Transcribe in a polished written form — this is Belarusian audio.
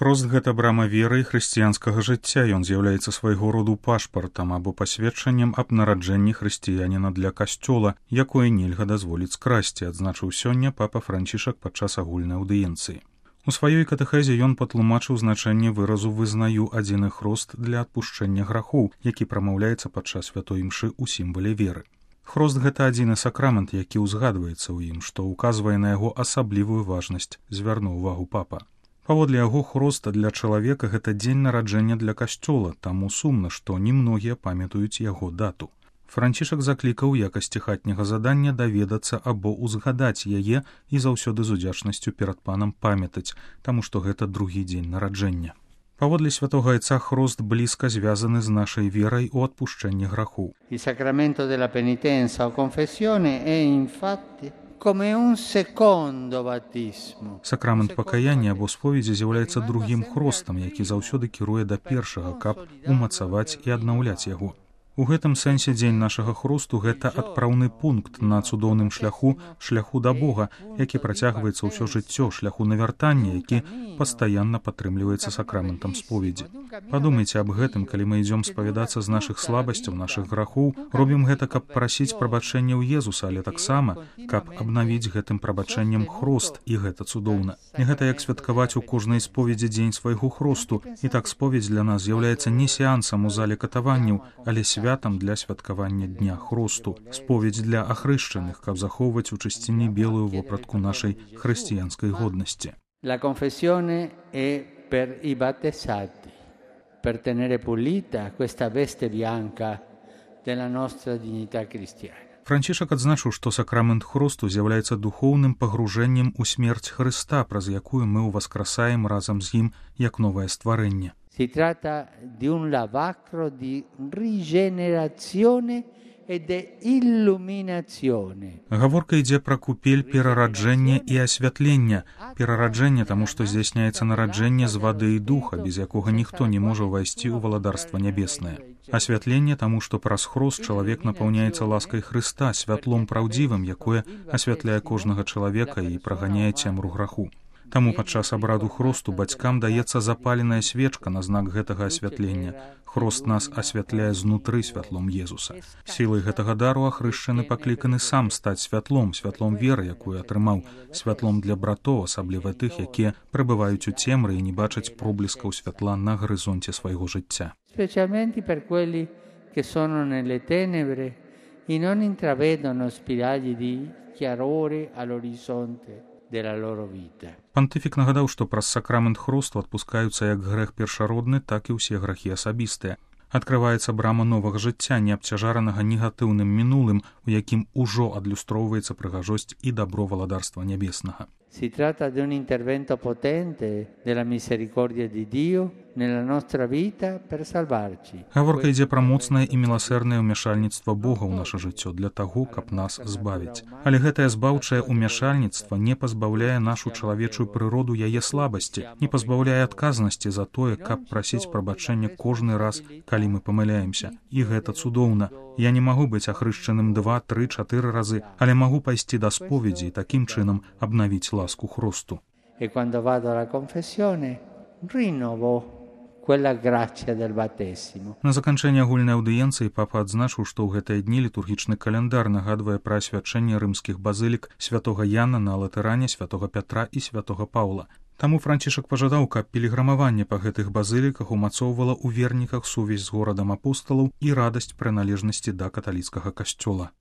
Хрост – гэта брама веры і хрысціянскага жыцця. Ён з'яўляецца свайго роду пашпартам або пасведчаннем аб нараджэнні хрысціяніна для касцёла, якое нельга дазволіць скрасці, адзначыў сёння папа Францішак падчас агульнай аўдыенцыі. У сваёй катэхезе ён патлумачыў значэнне выразу «вызнаю адзіны хрост для адпушчэння грахоў», які прамаўляецца падчас святой імшы ў сімвале веры. Хрост – гэта адзіны сакрамент, які ўзгадваецца ў ім, што ўказвае на яго асаблівую важнасць, звярнуў увагу папа. Паводле яго, хрост для чалавека – гэта дзень нараджэння для касцёла, таму сумна, што немногія памятаюць яго дату. Францішак заклікаў у якасці хатняга задання даведацца або ўзгадаць яе і заўсёды з удзячнасцю перад панам памятаць, таму што гэта другі дзень нараджэння. Паводле святога Айца, хрост блізка звязаны з нашай верай у адпушчэнні грахоў. Il sacramento della penitenza o confessione è infatti come un secondo battismo. Сакрамент пакаяння або споведзі з'яўляецца другім хростам, які заўсёды кіруе да першага, каб умацаваць і аднаўляць яго. У гэтым сэнсе дзень нашага хросту – гэта адпраўны пункт на цудоўным шляху да Бога, які працягваецца ўсё жыццё, шляху навяртання, які пастаянна падтрымліваецца сакраментам споведзі. Падумайце аб гэтым, калі мы ідзём спавядацца з нашых слабасцяў, нашых грахоў, робім гэта, каб прасіць прабачэння ў Езуса, але таксама, каб абнавіць гэтым прабачэннем хрост, і гэта цудоўна. І гэта як святкаваць у кожнай споведзі дзень свайго хросту, і так споведзь для нас з'яўляецца не сеансам у зале катаванняў, але святам для святкавання дня хросту, споведь для ахрышчаных, каб захоўваць у чысціні белую вопратку нашай хрысціянскай годнасці. La confessione è per i battesati, per tenere pulita questa veste bianca della nostra dignità cristiana. Францішак адзначыў, што сакрамент хросту з'яўляецца духоўным пагружэннем у смерць Хрыста, праз якую мы ўваскрасаем разам з ім як новае стварэнне. Si tratta di un lavacro di rigenerazione e di illuminazione. Гаворка ідзе пра купель перараджэння і асвятлення. Перараджэнне, таму што здзяйсняецца нараджэнне з вады і духа, без якога ніхто не можа ўвайсці ў валадарства нябеснае. Асвятленне, таму што праз хрост чалавек напаўняецца ласкай Хрыста, святлом праўдзівым, якое асвятляе кожнага чалавека і праганяе цемру граху. Таму падчас абраду хросту бацькам даецца запаленая свечка на знак гэтага асвятлення. Хрост нас асвятляе знутры святлом Езуса. Сілай гэтага дару ахрышчаны пакліканы сам стаць святлом, святлом веры, якую атрымаў, святлом для братоў, асабліва тых, якія пребываюць у цемры і не бачаць пробліскаў святла на гарызонце свайго жыцця. Specialmente per quelli che sono nelle tenebre e non intravedono spiragli di chiarore all'orizzonte della loro vita. Пантыфік нагадаў, што праз сакрамент хросту адпускаюцца як грэх першародны, так і ўсе грахі асабістыя. Адкрываецца брама новага жыцця, не абцяжаранага негатыўным минулым, у якім ужо адлюстроўваецца прыгажосць і дабро валадарства нябеснага. Si tratta di un intervento potente della misericordia di Dio nella nostra vita per salvarci. Гаворка ідзе пра моцнае і міласэрнае ўмяшальніцтва Бога ў наша жыццё для таго, каб нас збавіць. Але гэтае збаўчае ўмяшальніцтва не пазбаўляе нашу чалавечую прыроду яе слабасці, не пазбаўляе адказнасці за тое, каб прасіць прабачэння кожны раз, калі мы памыляемся. І гэта цудоўна. Я не магу быць ахрышчаным 2, 3, 4 разы, але магу пайсці да споведзі і такім чынам абнавіць ласку хросту. E quando vado alla confessione rinnovo quella grazia del battesimo. На заканчэнне агульнай аўдыенцыі папа адзначыў, што ў гэтыя дні літургічны каляндар нагадвае пра асвячэнне рымскіх базылік святога Яна на Латэране, святога Пятра і святога Паўла. Таму Францішак пажадаў, каб піліграмаванне па гэтых базыліках умацоўвала ў верніках сувязь з горадам апосталаў і радасць прыналежнасці да каталіцкага касцёла.